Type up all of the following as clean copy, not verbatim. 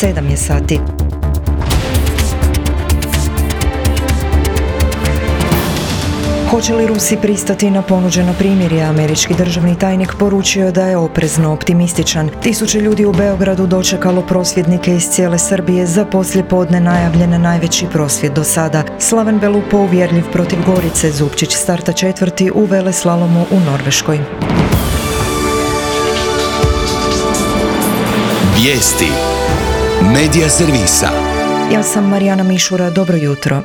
7 je sati. Hoće li Rusi pristati na ponuđeno primirje? Američki državni tajnik poručio da je oprezno optimističan. Tisuće ljudi u Beogradu dočekalo prosvjednike iz cijele Srbije za poslijepodne najavljen najveći prosvjed do sada. Slaven Belupo uvjerljiv protiv Gorice, Zupčić starta četvrti u veleslalomu u Norveškoj. Vijesti Medija servisa. Ja sam Marijana Mišura, dobro jutro.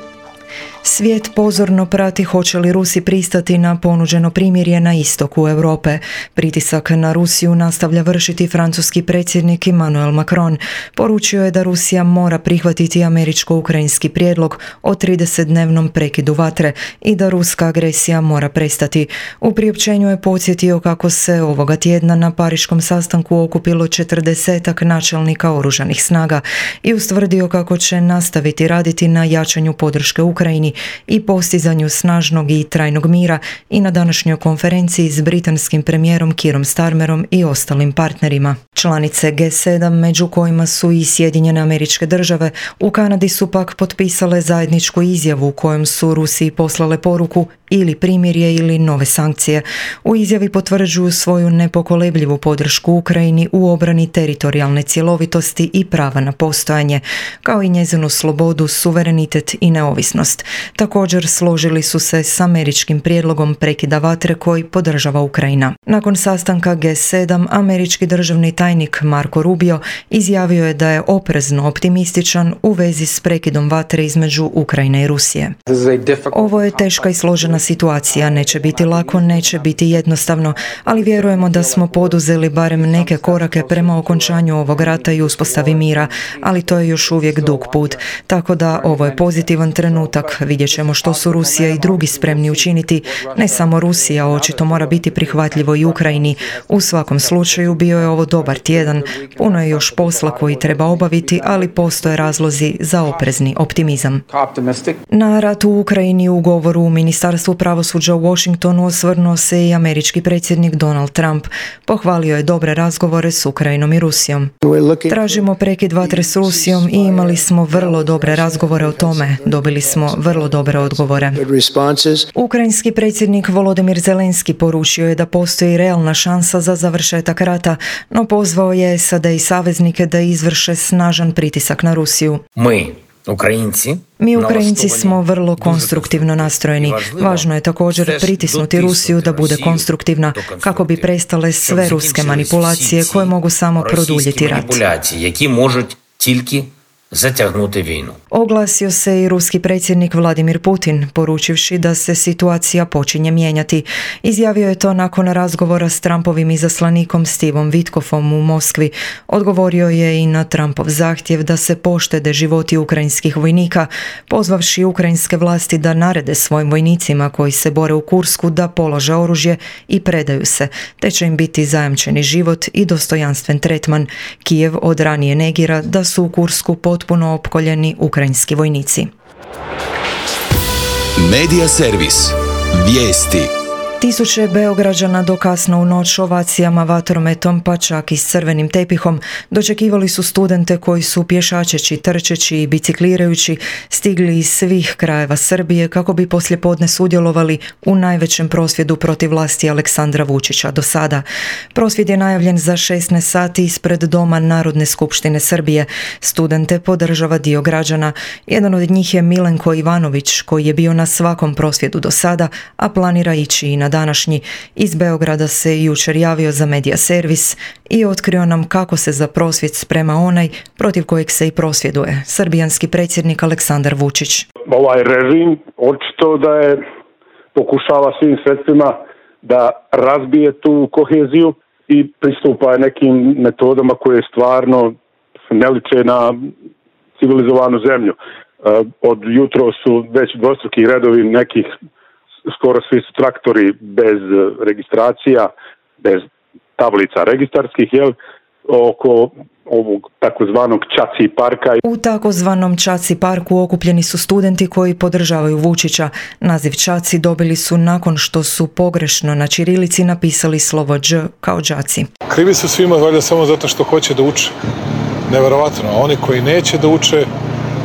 Svijet pozorno prati hoće li Rusi pristati na ponuđeno primirje na istoku Europe. Pritisak na Rusiju nastavlja vršiti francuski predsjednik Emmanuel Macron. Poručio je da Rusija mora prihvatiti američko-ukrajinski prijedlog o 30-dnevnom prekidu vatre i da ruska agresija mora prestati. U priopćenju je podsjetio kako se ovoga tjedna na pariškom sastanku okupilo 40-ak načelnika oružanih snaga i ustvrdio kako će nastaviti raditi na jačanju podrške Ukrajini i postizanju snažnog i trajnog mira i na današnjoj konferenciji s britanskim premijerom Keerom Starmerom i ostalim partnerima. Članice G7, među kojima su i Sjedinjene Američke Države, u Kanadi su pak potpisale zajedničku izjavu kojom su Rusiji poslale poruku ili primirje ili nove sankcije. U izjavi potvrđuju svoju nepokolebljivu podršku Ukrajini u obrani teritorijalne cjelovitosti i prava na postojanje, kao i njezinu slobodu, suverenitet i neovisnost. Također složili su se s američkim prijedlogom prekida vatre koji podržava Ukrajina. Nakon sastanka G7, američki državni tajnik Marco Rubio izjavio je da je oprezno optimističan u vezi s prekidom vatre između Ukrajine i Rusije. Ovo je teška i složena situacija, neće biti lako, neće biti jednostavno, ali vjerujemo da smo poduzeli barem neke korake prema okončanju ovog rata i uspostavi mira, ali to je još uvijek dug put. Tako da ovo je pozitivan trenutak, vidjet ćemo što su Rusija i drugi spremni učiniti. Ne samo Rusija, očito mora biti prihvatljivo i Ukrajini. U svakom slučaju bio je ovo dobar tjedan, puno je još posla koji treba obaviti, ali postoje razlozi za oprezni optimizam. Na rat u Ukrajini u govoru u Ministarstvu pravosuđa u Washingtonu osvrnuo se i američki predsjednik Donald Trump. Pohvalio je dobre razgovore s Ukrajinom i Rusijom. Tražimo prekid vatre s Rusijom i imali smo vrlo dobre razgovore o tome. Dobili smo vrlo dobre odgovore. Ukrajinski predsjednik Volodymyr Zelenski poručio je da postoji realna šansa za završetak rata, no pozvao je SAD i saveznike da izvrše snažan pritisak na Rusiju. Mi Ukrajinci smo vrlo konstruktivno nastrojeni. Važno je također pritisnuti Rusiju da bude konstruktivna kako bi prestale sve ruske manipulacije koje mogu samo produljiti rat. Oglasio se i ruski predsjednik Vladimir Putin, poručivši da se situacija počinje mijenjati. Izjavio je to nakon razgovora s Trumpovim izaslanikom Stevom Witkoffom u Moskvi. Odgovorio je i na Trumpov zahtjev da se poštede životi ukrajinskih vojnika, pozvavši ukrajinske vlasti da narede svojim vojnicima koji se bore u Kursku da polože oružje i predaju se, te će im biti zajamčeni život i dostojanstven tretman. Kijev od ranije negira da su u Kursku potpuno opkoljeni ukrajinski vojnici. Medija servis. Vijesti. Tisuće Beograđana do kasno u noć ovacijama, vatrometom pa čak i s crvenim tepihom dočekivali su studente koji su pješačeći, trčeći i biciklirajući stigli iz svih krajeva Srbije kako bi poslijepodne sudjelovali u najvećem prosvjedu protiv vlasti Aleksandra Vučića do sada. Prosvjed je najavljen za 16 sati ispred Doma Narodne skupštine Srbije. Studente podržava dio građana. Jedan od njih je Milenko Ivanović koji je bio na svakom prosvjedu do sada, a planira ići i na današnji. Iz Beograda se jučer javio za Medija servis i otkrio nam kako se za prosvjed sprema onaj protiv kojeg se i prosvjeduje, srbijanski predsjednik Aleksandar Vučić. Ovaj režim očito da je pokušava svim sredstvima da razbije tu koheziju i pristupa nekim metodama koje stvarno ne liče na civilizovanu zemlju. Od jutro su već dvostruki redovi nekih, skoro svi su traktori bez registracija, bez tablica registarskih, oko ovog takozvanog Čaci parka. U takozvanom Čaci parku okupljeni su studenti koji podržavaju Vučića. Naziv Čaci dobili su nakon što su pogrešno na ćirilici napisali slovo Đ kao đaci. Krivi su svima valjda samo zato što hoće da uče. neverovatno. A oni koji neće da uče,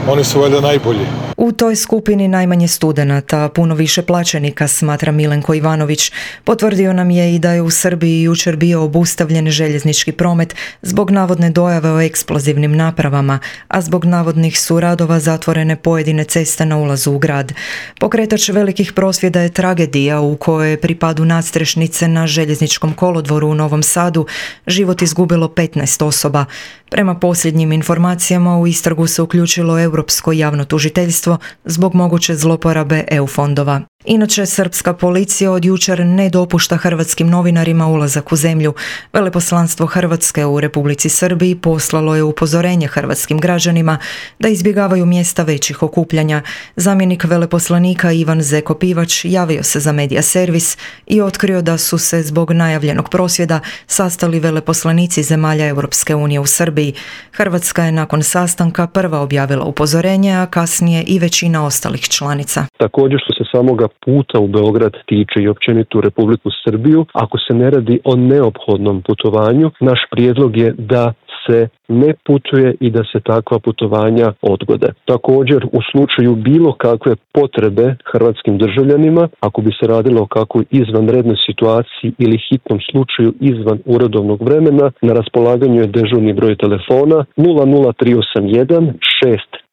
oni su valjda najbolji. U toj skupini najmanje studenata, puno više plaćenika, smatra Milenko Ivanović. Potvrdio nam je i da je u Srbiji jučer bio obustavljen željeznički promet zbog navodne dojave o eksplozivnim napravama, a zbog navodnih su radova zatvorene pojedine ceste na ulazu u grad. Pokretač velikih prosvjeda je tragedija u kojoj je pri padu nadstrešnice na željezničkom kolodvoru u Novom Sadu život izgubilo 15 osoba. Prema posljednjim informacijama u istragu se uključilo Europsko javno tužiteljstvo zbog moguće zloporabe EU fondova. Inače, srpska policija od jučer ne dopušta hrvatskim novinarima ulazak u zemlju. Veleposlanstvo Hrvatske u Republici Srbiji poslalo je upozorenje hrvatskim građanima da izbjegavaju mjesta većih okupljanja. Zamjenik veleposlanika Ivan Zeko Pivač javio se za Medija servis i otkrio da su se zbog najavljenog prosvjeda sastali veleposlanici zemalja Europske unije u Srbiji. Hrvatska je nakon sastanka prva objavila upozorenje, a kasnije i većina ostalih članica. Također što se samoga puta u Beograd tiče i općenito u Republiku Srbiju, ako se ne radi o neophodnom putovanju, naš prijedlog je da se ne putuje i da se takva putovanja odgode. Također, u slučaju bilo kakve potrebe hrvatskim državljanima, ako bi se radilo o kakvoj izvanrednoj situaciji ili hitnom slučaju izvan uredovnog vremena, na raspolaganju je dežurni broj telefona 00381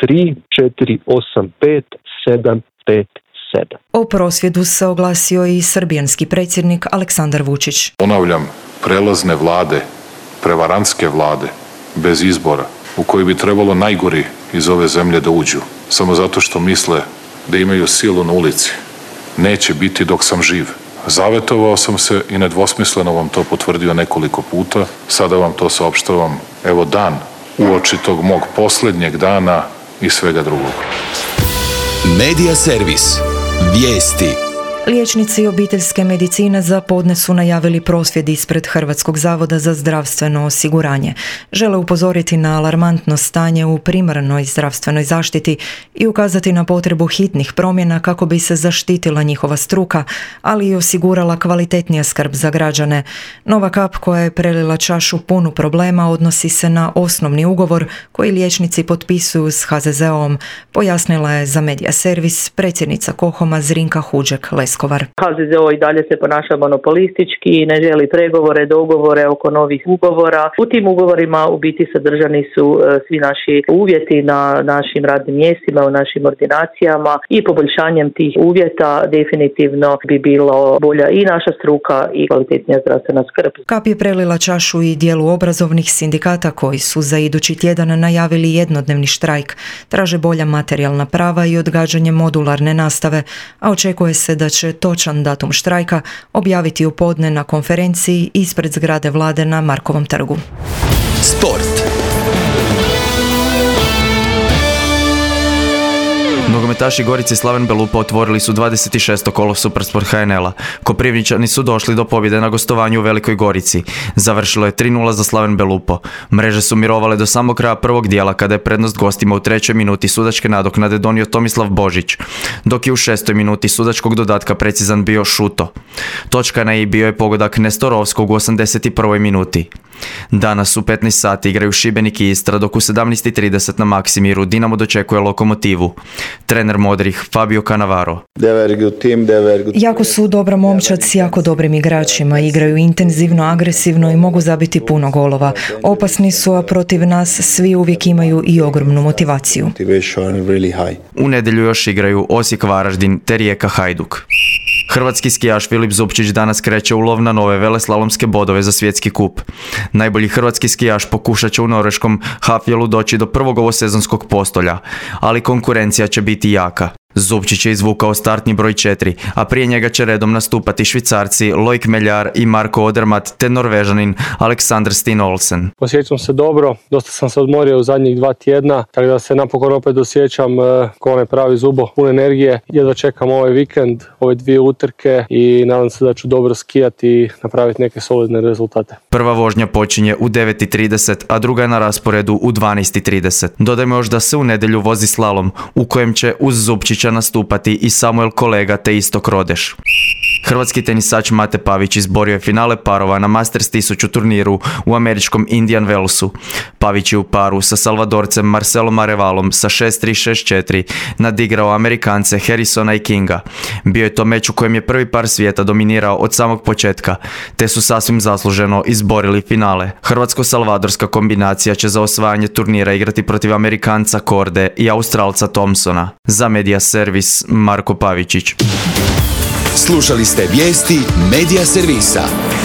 63 485 757. O prosvjedu se oglasio i srbijanski predsjednik Aleksandar Vučić. Ponavljam, prelazne vlade, prevarantske vlade, bez izbora, u koji bi trebalo najgori iz ove zemlje da uđu, samo zato što misle da imaju silu na ulici, neće biti dok sam živ. Zavetovao sam se i nedvosmisleno vam to potvrdio nekoliko puta, sada vam to saopštavam, evo dan uoči tog mog posljednjeg dana i svega drugog. Medija servis. Vijesti. Liječnici obiteljske medicine za podne su najavili prosvjed ispred Hrvatskog zavoda za zdravstveno osiguranje. Žele upozoriti na alarmantno stanje u primarnoj zdravstvenoj zaštiti i ukazati na potrebu hitnih promjena kako bi se zaštitila njihova struka, ali i osigurala kvalitetnija skrb za građane. Nova kap koja je prelila čašu punu problema odnosi se na osnovni ugovor koji liječnici potpisuju s HZZO-om, pojasnila je za Medija servis predsjednica KOHOM-a Zrinka Huđek-Leskovar. HZZO i dalje se ponaša monopolistički i ne želi pregovore, dogovore oko novih ugovora. U tim ugovorima u biti sadržani su svi naši uvjeti na našim radnim mjestima, u našim ordinacijama i poboljšanjem tih uvjeta definitivno bi bilo bolja i naša struka i kvalitetnija zdravstvena skrb. Kap je prelila čašu i dijelu obrazovnih sindikata koji su za idući tjedan najavili jednodnevni štrajk. Traže bolja materijalna prava i odgađanje modularne nastave, a očekuje se da će točan datum štrajka objaviti u podne na konferenciji ispred zgrade vlade na Markovom trgu. Sport. Nogometaši Gorice Slaven Belupo otvorili su 26. kolo Supersport HNL-a. Koprivničani su došli do pobjede na gostovanju u Velikoj Gorici. Završilo je 3:0 za Slaven Belupo. Mreže su mirovale do samog kraja prvog dijela kada je prednost gostima u 3. minuti sudačke nadoknade donio Tomislav Božić, dok je u 6. minuti sudačkog dodatka precizan bio Šuto. Točka na i bio je pogodak Nestorovskog u 81. minuti. Danas u 15 sati igraju Šibenik i Istra, dok u 17:30 na Maksimiru Dinamo dočekuje Lokomotivu. Trener modrih Fabio Cannavaro. Jako su dobra momčad s jako dobrim igračima, igraju intenzivno, agresivno i mogu zabiti puno golova. Opasni su, a protiv nas svi uvijek imaju i ogromnu motivaciju. U nedjelju još igraju Osijek Varaždin te Rijeka Hajduk. Hrvatski skijaš Filip Zupčić danas kreće u lov na nove veleslalomske bodove za svjetski kup. Najbolji hrvatski skijaš pokušat će u norveškom Hafjelu doći do prvog ovosezonskog postolja, ali konkurencija će biti jaka. Zupčić je izvukao startni broj 4, a prije njega će redom nastupati Švicarci Loic Meljar i Marko Odermatt te Norvežanin Alexander Steen Olsen. Osjećam se dobro, dosta sam se odmorio u zadnjih 2 tjedna, tako da se napokon opet osjećam kao onaj pravi zubo, pun energije. Jedva čekam ovaj vikend, ove 2 utrke i nadam se da ću dobro skijati i napraviti neke solidne rezultate. Prva vožnja počinje u 9:30, a druga je na rasporedu u 12:30. Dodajmo još da se u nedjelju vozi slalom, u kojem će uz Zupčića nastupati i Samuel Kolega te Istok Rodeš. Hrvatski tenisač Mate Pavić izborio je finale parova na Masters 1000 turniru u američkom Indian Wellsu. Pavić je u paru sa Salvadorcem Marcelom Arevalom sa 6-3, 6-4 nadigrao Amerikance Harrisona i Kinga. Bio je to meč u kojem je prvi par svijeta dominirao od samog početka, te su sasvim zasluženo izborili finale. Hrvatsko-salvadorska kombinacija će za osvajanje turnira igrati protiv Amerikanca Korde i Australca Thompsona. Za Media Servis, Marko Pavičić. Slušali ste vijesti Media Servisa.